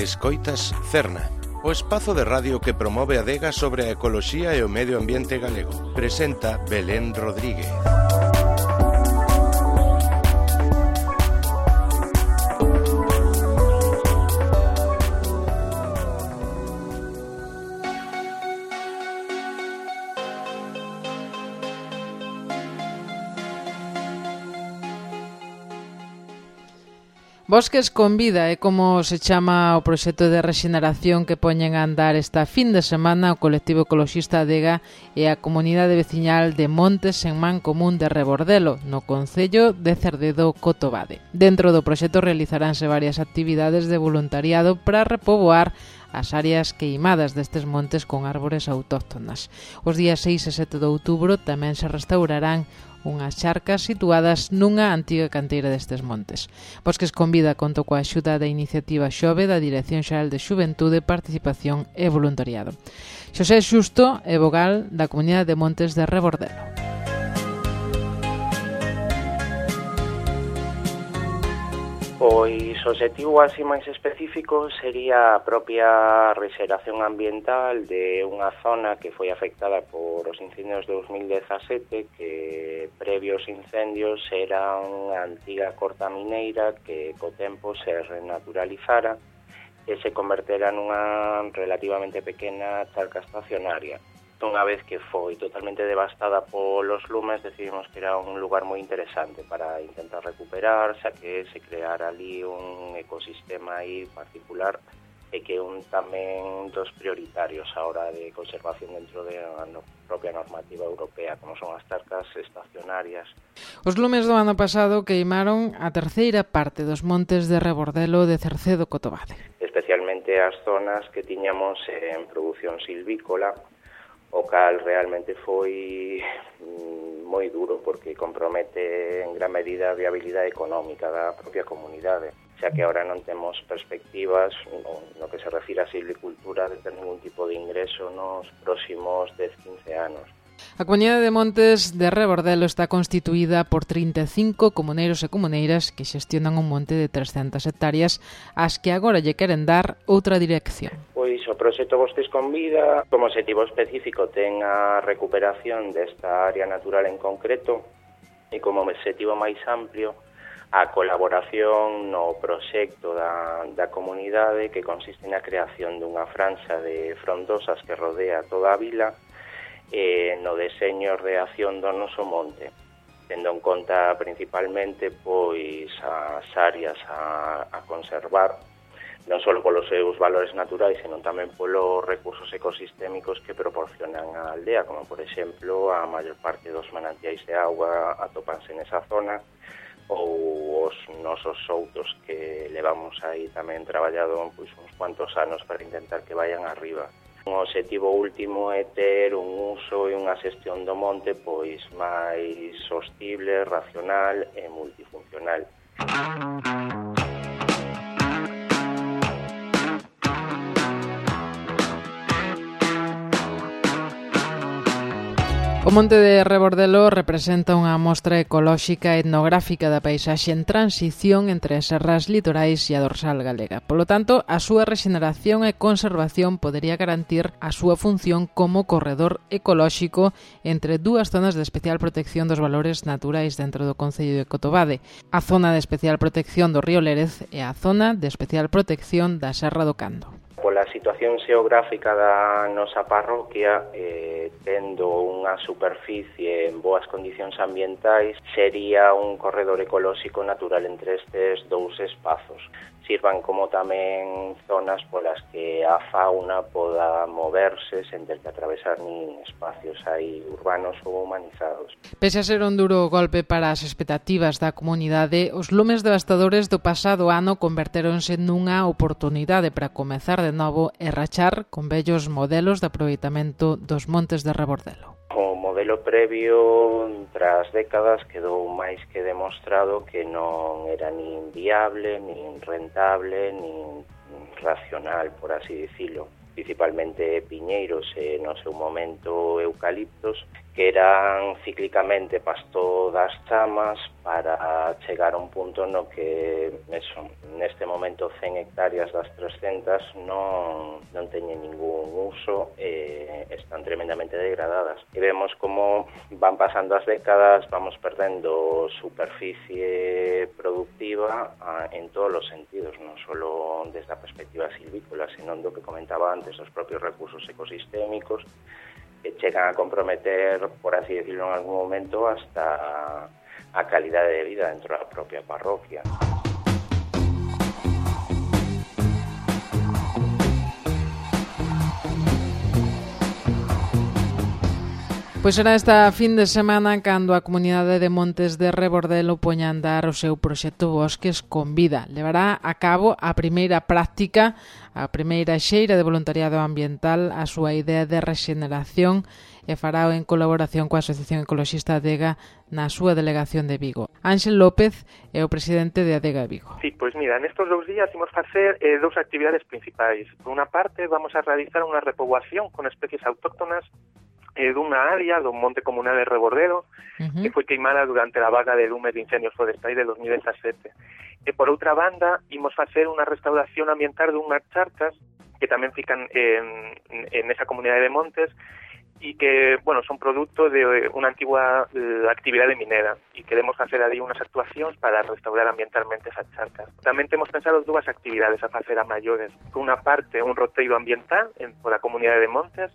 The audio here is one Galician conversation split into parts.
Escoitas Cerna, o espazo de radio que promove a adega sobre a ecoloxía e o medio ambiente galego. Presenta Belén Rodríguez. Bosques con Vida é como se chama o proxecto de rexeneración que poñen a andar esta fin de semana o colectivo ecoloxista Adega e a comunidade veciñal de Montes en Man Común de Rebordelo, no concello de Cerdedo, Cotobade. Dentro do proxecto realizaránse varias actividades de voluntariado para repoboar as áreas queimadas destes montes con árbores autóctonas. Os días 6 e 7 de outubro tamén se restaurarán unhas charcas situadas nunha antiga canteira destes montes. Bosques con Vida contou coa axuda da iniciativa Xove da Dirección Xeral de Xuventude, Participación e Voluntariado. Xosé Xusto é vogal da Comunidade de Montes de Rebordelo. Pois o obxectivo así máis específico sería a propia rexeración ambiental de unha zona que foi afectada por os incendios de 2017, que previos incendios era unha antiga corta mineira que co tempo se renaturalizara e se convertera nunha relativamente pequena charca estacionaria. Unha vez que foi totalmente devastada polos lumes, decidimos que era un lugar moi interesante para intentar recuperar, xa que se creara ali un ecosistema aí particular e que un tamén dos prioritarios a hora de conservación dentro da propia normativa europea, como son as charcas estacionarias. Os lumes do ano pasado queimaron a terceira parte dos montes de Rebordelo de Cercedo, Cotobade. Especialmente as zonas que tiñamos en produción silvícola, o cal realmente foi moi duro porque compromete en gran medida a viabilidade económica da propia comunidade, xa que agora non temos perspectivas no que se refira a silvicultura de ter ningún tipo de ingreso nos próximos 10-15 anos. A Comunidade de Montes de Rebordelo está constituída por 35 comuneiros e comuneiras que xestionan un monte de 300 hectáreas ás que agora lle queren dar outra dirección. Pois o proxecto Bosques con Vida, como objetivo específico, ten a recuperación desta área natural en concreto e como objetivo máis amplio a colaboración no proxecto da comunidade que consiste na creación dunha franxa de frondosas que rodea toda a vila e no deseño e reacción do noso monte, tendo en conta principalmente pois as áreas a conservar, non só polos seus valores naturais, senón tamén polos recursos ecosistémicos que proporcionan a aldea, como por exemplo a maior parte dos manantiais de auga atópanse nesa zona, ou os nosos soutos que levamos aí tamén traballado pois uns cuantos anos para intentar que vayan arriba. O obxectivo último é ter un uso e unha xestión do monte pois máis sostible, racional e multifuncional. O monte de Rebordelo representa unha mostra ecolóxica e etnográfica da paisaxe en transición entre as serras litorais e a dorsal galega. Polo tanto, a súa rexeneración e conservación podería garantir a súa función como corredor ecolóxico entre dúas zonas de especial protección dos valores naturais dentro do concello de Cotobade, a zona de especial protección do río Lérez e a zona de especial protección da Serra do Cando. Pola situación xeográfica da nosa parroquia, tendo unha superficie en boas condicións ambientais, sería un corredor ecolóxico natural entre estes dous espazos. Sirvan como tamén zonas polas que a fauna poda moverse sen ter que atravesar nin espacios aí urbanos ou humanizados. Pese a ser un duro golpe para as expectativas da comunidade, os lumes devastadores do pasado ano convertéronse nunha oportunidade para comezar de novo e rachar con bellos modelos de aproveitamento dos montes de Rebordelo. O modelo previo, tras décadas, quedou máis que demostrado que non era nin viable, nin rentable, nin racional, por así dicilo. Principalmente piñeiros e, no seu momento, eucaliptos, que eran cíclicamente pasto das chamas para chegar a un punto no que, neste momento, momento 100 hectáreas das 300 non teñen ningún uso e están tremendamente degradadas. E vemos como van pasando as décadas, vamos perdendo superficie productiva en todos os sentidos, non só desde a perspectiva silvícola, senón do que comentaba antes, os propios recursos ecosistémicos, que chegan a comprometer, por así decirlo en algún momento, hasta a calidade de vida dentro da propia parroquia. Pois será esta fin de semana cando a comunidade de Montes de Rebordelo poña a andar o seu proxecto Bosques con Vida. Levará a cabo a primeira práctica, a primeira xeira de voluntariado ambiental, a súa idea de rexeneración, e fará en colaboración coa Asociación Ecoloxista Adega na súa delegación de Vigo. Ángel López é o presidente de Adega Vigo. Sí, pois mira, nestes 2 días imos facer 2 actividades principais. Por unha parte, vamos a realizar unha repoboación con especies autóctonas dunha área do Monte Comunal de Rebordelo que foi queimada durante a vaga de lumes de incendios forestais de 2017. E por outra banda, imos facer unha restauración ambiental dunhas charcas que tamén fican en esa comunidade de montes e que, bueno, son produto de unha antigua actividade minera e queremos facer ali unhas actuacións para restaurar ambientalmente esas charcas. Tamén temos pensado 2 actividades a facer a maiores. Por unha parte, un roteiro ambiental por a comunidade de montes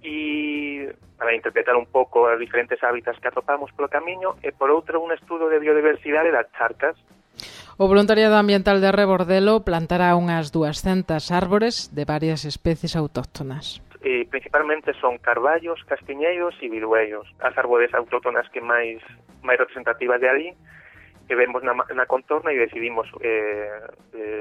e para interpretar un pouco os diferentes hábitats que atopamos polo camiño, e por outro un estudo de biodiversidade das charcas. O voluntariado ambiental de Rebordelo plantará unhas 200 árbores de varias especies autóctonas. Principalmente son carballos, castiñeiros e viruellos, as árbores autóctonas que máis representativas de ali, que vemos na contorna e decidimos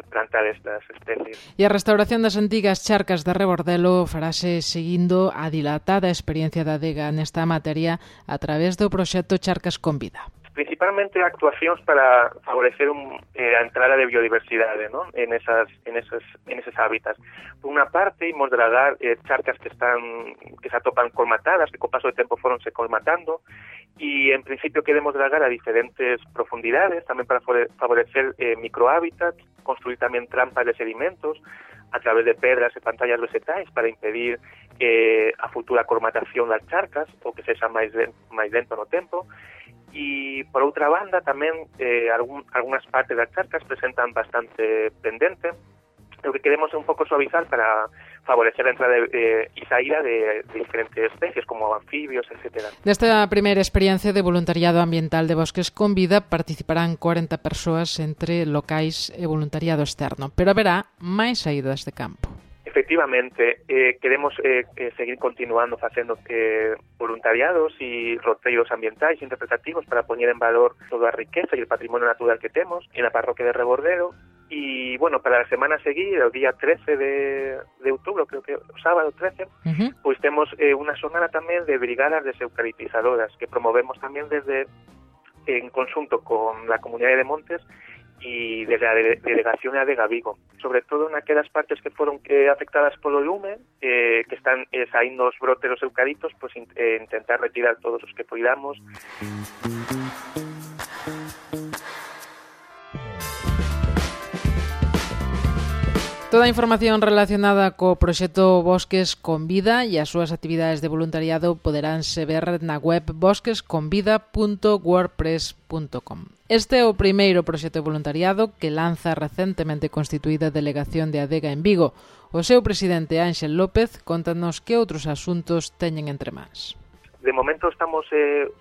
plantar estas especies. E a restauración das antigas charcas de Rebordelo farase seguindo a dilatada experiencia da Adega nesta materia a través do proxecto Charcas con Vida. Principalmente actuacións para favorecer a entrada de biodiversidade, ¿no? en esos hábitats. Por unha parte, imos dragar charcas que se atopan colmatadas, que co paso do tempo foronse colmatando, e en principio queremos dragar a diferentes profundidades, tamén para favorecer microhábitats, construir tamén trampas de sedimentos a través de pedras e pantallas vegetais para impedir a futura colmatación das charcas ou que sexa máis lento no tempo. E, por outra banda, tamén algunhas partes das charcas presentan bastante pendente, o que queremos un pouco suavizar para favorecer a entrada e saída de diferentes especies, como anfibios, etc. Nesta primeira experiencia de voluntariado ambiental de Bosques con Vida participarán 40 persoas entre locais e voluntariado externo, pero haberá máis saídas de campo. Efectivamente, queremos seguir continuando facendo voluntariados e roteiros ambientais interpretativos para poñer en valor toda a riqueza e o patrimonio natural que temos en a parroquia de Rebordelo. E, bueno, para a semana a seguir, o día 13 de outubro, creo que o sábado 13, pois temos unha xornada tamén de brigadas deseucaliptizadoras que promovemos tamén en conxunto con la comunidade de Montes e desde a delegación de Adega Vigo, sobre todo naquelas partes que foron afectadas polo lume, que están saindo os brotes dos eucaliptos, pois intentar retirar todos os que poidamos. Toda a información relacionada co proxecto Bosques con Vida e as súas actividades de voluntariado poderánse ver na web bosquesconvida.wordpress.com. Este é o primeiro proxecto de voluntariado que lanza a recentemente constituída Delegación de Adega en Vigo. O seu presidente Ángel López contanos que outros asuntos teñen entre mans. De momento estamos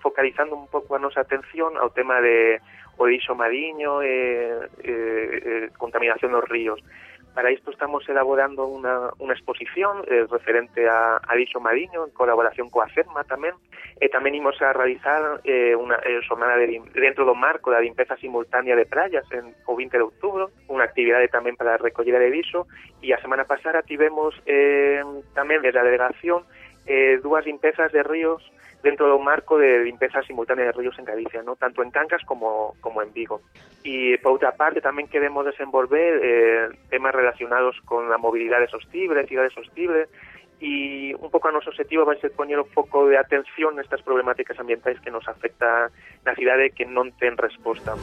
focalizando un pouco a nosa atención ao tema de o lixo mariño e contaminación dos ríos. Para isto estamos elaborando unha exposición referente a lixo mariño en colaboración coa FEDMA tamén, e tamén imos a realizar unha xornada dentro do marco da limpeza simultánea de praias o 20 de outubro, unha actividade tamén para a recollida de lixo, e a semana pasada tivemos tamén desde a delegación 2 limpezas de ríos dentro do marco de limpeza simultánea de ríos en Galicia, ¿no? Tanto en Cangas como en Vigo. E, por outra parte, tamén queremos desenvolver temas relacionados con a mobilidade sostible, cidade sostible, e un pouco a noso objetivo vai ser poñer un foco de atención nestas problemáticas ambientais que nos afecta na cidade que non ten resposta.